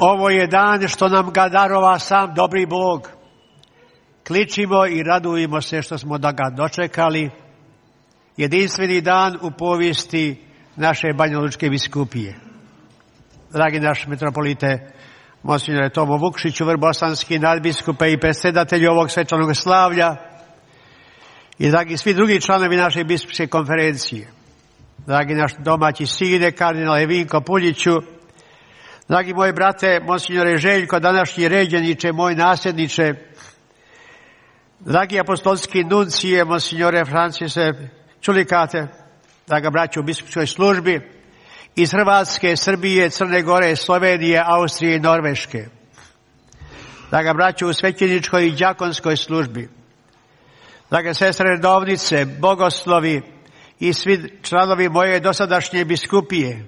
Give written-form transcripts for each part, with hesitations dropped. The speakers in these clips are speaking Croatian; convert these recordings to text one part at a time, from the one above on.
Ovo je dan što nam ga darova sam dobri Bog. Kličimo i radujemo se što smo da ga dočekali. Jedinstveni dan u povijesti naše Banjalučke biskupije. Dragi naš metropolite, monsignore Tomo Vukšiću, vrbosanski nadbiskupe i predsjedatelju ovog svečanog slavlja, i dragi svi drugi članovi naše biskupske konferencije, dragi naš domaći sine, kardinale Vinko Puljiću, dragi moji brate, monsignore Željko, današnji ređeniče, moj nasljedniče, dragi apostolski nuncije, monsignore Francise Čulikate, draga braćo u biskupskoj službi, iz Hrvatske, Srbije, Crne Gore, Slovenije, Austrije i Norveške, draga braćo u svećeničkoj i đakonskoj službi, drage sestre redovnice, bogoslovi i svi članovi moje dosadašnje biskupije,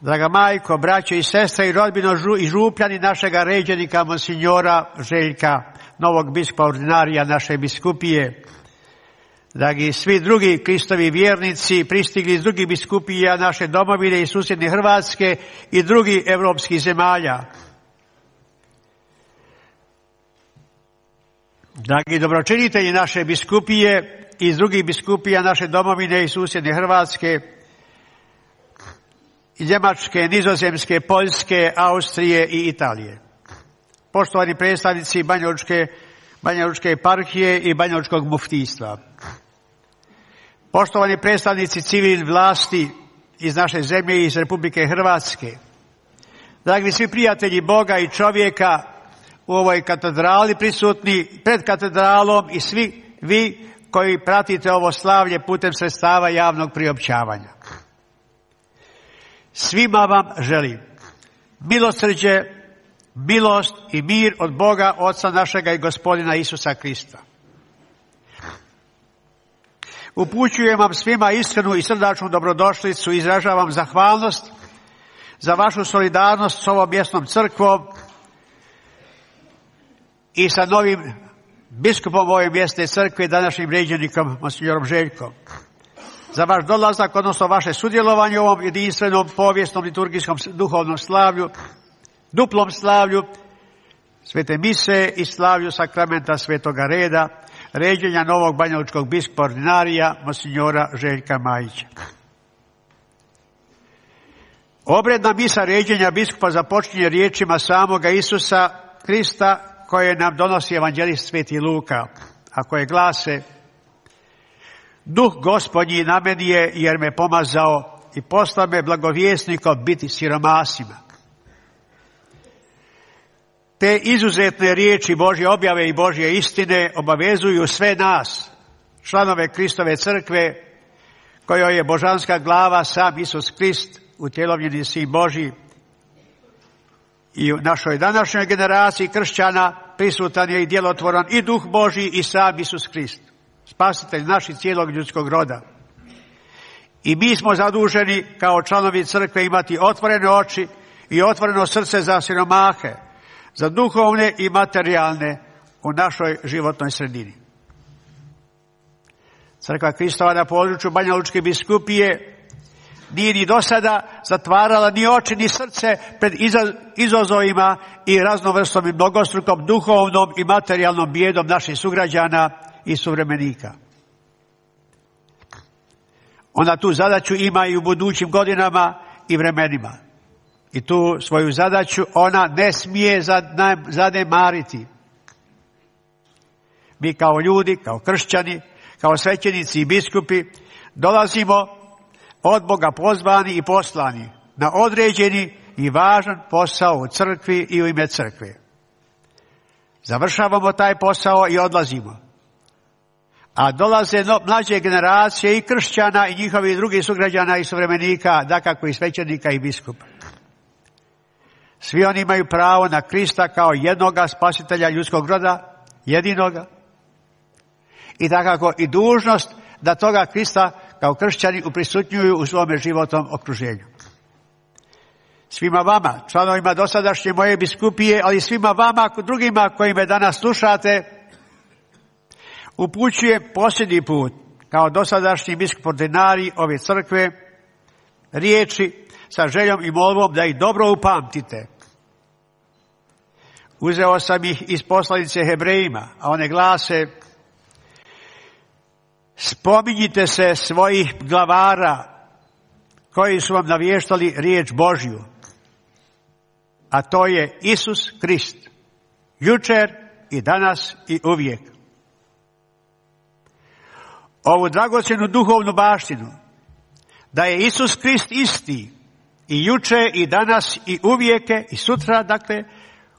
draga majko, braćo i sestre i rodbino i župljani našega ređenika monsignora Željka, novog biskupa ordinarija naše biskupije, dragi svi drugi Kristovi vjernici pristigli iz drugih biskupija naše domovine i susjedne Hrvatske i drugih evropskih zemalja, dragi dobročinitelji naše biskupije iz drugih biskupija naše domovine i susjedne Hrvatske, Njemačke, Nizozemske, Poljske, Austrije i Italije, poštovani predstavnici Banjalučke eparhije i Banjalučkog muftijstva, poštovani predstavnici civilne vlasti iz naše zemlje i iz Republike Hrvatske, dragi svi prijatelji Boga i čovjeka u ovoj katedrali prisutni, pred katedralom i svi vi koji pratite ovo slavlje putem sredstava javnog priopćavanja. Svima vam želim milosrđe, milost i mir od Boga, Oca našega i Gospodina Isusa Krista. Upućujem vam svima iskrenu i srdačnu dobrodošlicu i izražavam zahvalnost za vašu solidarnost s ovom mjesnom crkvom i sa novim biskupom ove mjesne crkve, današnjim ređenikom, monsignorom Željkom, za vaš dolazak, odnosno vaše sudjelovanje u ovom jedinstvenom povijesnom liturgijskom duhovnom slavlju, duplom slavlju Svete mise i slavlju sakramenta Svetoga reda, ređenja novog banjalučkog biskupa ordinarija, monsignora Željka Majića. Obredna misa ređenja biskupa započinje riječima samoga Isusa Krista koje nam donosi evanđelist Sveti Luka, a koje glase: Duh Gospodnji na meni je, jer me pomazao i poslao me blagovjesnikom biti siromasima. Te izuzetne riječi Božje objave i Božje istine obavezuju sve nas, članove Kristove crkve, kojoj je božanska glava sam Isus Krist, utjelovljeni Sin Božji. I u našoj današnjoj generaciji kršćana prisutan je i djelotvoran i Duh Božji i sam Isus Krist, spasitelj naših cijelog ljudskog roda. I mi smo zaduženi kao članovi crkve imati otvorene oči i otvoreno srce za siromahe, za duhovne i materijalne u našoj životnoj sredini. Crkva Kristova na području Banjalučke biskupije nije ni do sada zatvarala ni oči ni srce pred izazovima i raznovrstom i mnogostrukom duhovnom i materijalnom bijedom naših sugrađana i suvremenika. Ona tu zadaću ima i u budućim godinama i vremenima. I tu svoju zadaću ona ne smije zanemariti. Mi kao ljudi, kao kršćani, kao svećenici i biskupi dolazimo od Boga pozvani i poslani na određeni i važan posao u crkvi i u ime crkve. Završavamo taj posao i odlazimo. A dolaze mlađe generacije i kršćana i njihovi drugih sugrađana i suvremenika, dakako i svećenika i biskupa. Svi oni imaju pravo na Krista kao jednoga spasitelja ljudskog roda, jedinoga, i dakako i dužnost da toga Krista kao kršćani uprisutnjuju u svome životnom okruženju. Svima vama, članovima dosadašnje moje biskupije, ali svima vama, drugima koji me danas slušate, upućujem posljednji put kao dosadašnji biskup ordinarij ove crkve riječi sa željom i molbom da ih dobro upamtite Uzeo sam ih iz poslanice Hebrejima, a one glase: spominjite se svojih glavara koji su vam navještali riječ Božju, a to je Isus Krist, jučer i danas i uvijek. Ovu dragocjenu duhovnu baštinu, da je Isus Krist isti i juče i danas i uvijeke i sutra, dakle,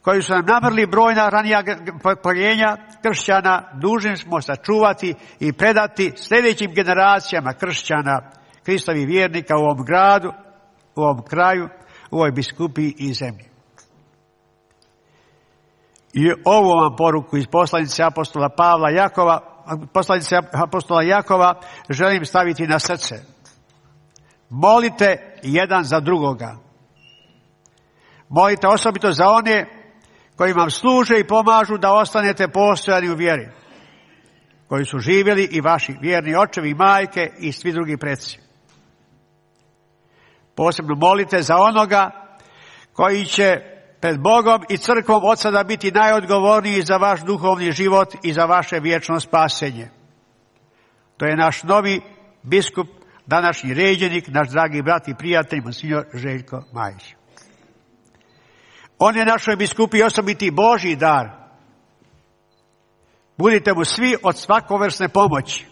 koji su nam namrli brojna ranija pokoljenja kršćana, dužni smo sačuvati i predati sljedećim generacijama kršćana, Kristovih vjernika u ovom gradu, u ovom kraju, u ovoj biskupiji i zemlji. I ovu vam poruku iz poslanice apostola Jakova želim staviti na srce. Molite jedan za drugoga. Molite osobito za one koji vam služe i pomažu da ostanete postojani u vjeri, koji su živjeli i vaši vjerni očevi i majke i svi drugi preci. Posebno molite za onoga koji će pred Bogom i crkvom od sada biti najodgovorniji za vaš duhovni život i za vaše vječno spasenje. To je naš novi biskup, današnji ređenik, naš dragi brat i prijatelj, monsignor Željko Majić. On je našoj biskupiji osobiti Božji dar. Budite mu svi od svakovrsne pomoći,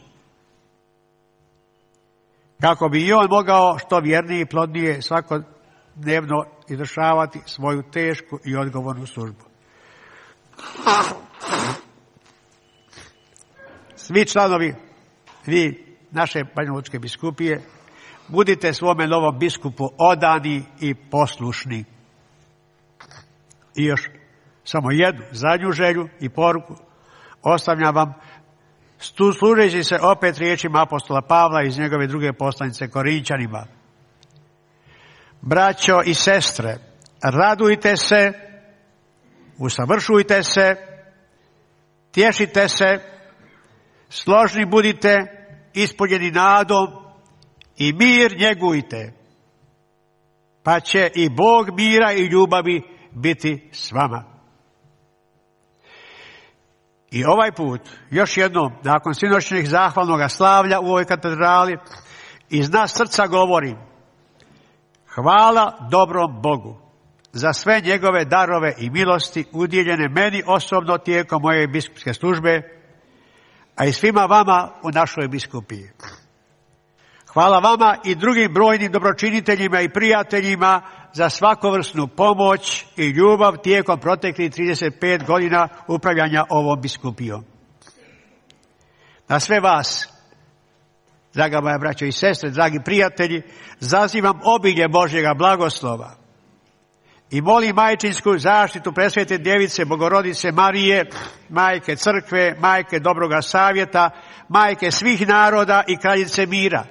kako bi i on mogao što vjernije i plodnije svakodnevno izvršavati svoju tešku i odgovornu službu. Svi članovi, vi, naše banjalučke biskupije, budite svome novom biskupu odani i poslušni. I još samo jednu zadnju želju i poruku ostavljam vam, služeći se opet riječima apostola Pavla iz njegove druge poslanice Korinćanima. Braćo i sestre, radujte se, usavršujte se, tješite se, složni budite, ispunjeni nadom i mir njegujte, pa će i Bog mira i ljubavi biti s vama. I ovaj put, još jednom, nakon sinoćnjeg zahvalnog slavlja u ovoj katedrali, iz nas srca govorim: hvala dobrom Bogu za sve njegove darove i milosti udjeljene meni osobno tijekom moje biskupske službe, a i svima vama u našoj biskupiji. Hvala vama i drugim brojnim dobročiniteljima i prijateljima za svakovrsnu pomoć i ljubav tijekom proteklih 35 godina upravljanja ovom biskupijom. Na sve vas, draga moja braćo i sestre, dragi prijatelji, zazivam obilje Božjega blagoslova i molim majčinsku zaštitu presvete djevice Bogorodice Marije, majke crkve, majke dobroga savjeta, majke svih naroda i kraljice mira,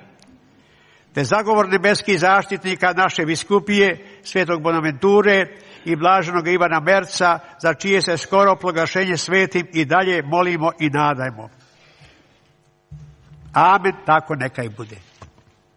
te zagovor nebeskih zaštitnika naše biskupije, svetog Bonaventure i blaženog Ivana Merca, za čije se skoro proglašenje svetim i dalje molimo i nadajmo. Amen, tako neka i bude.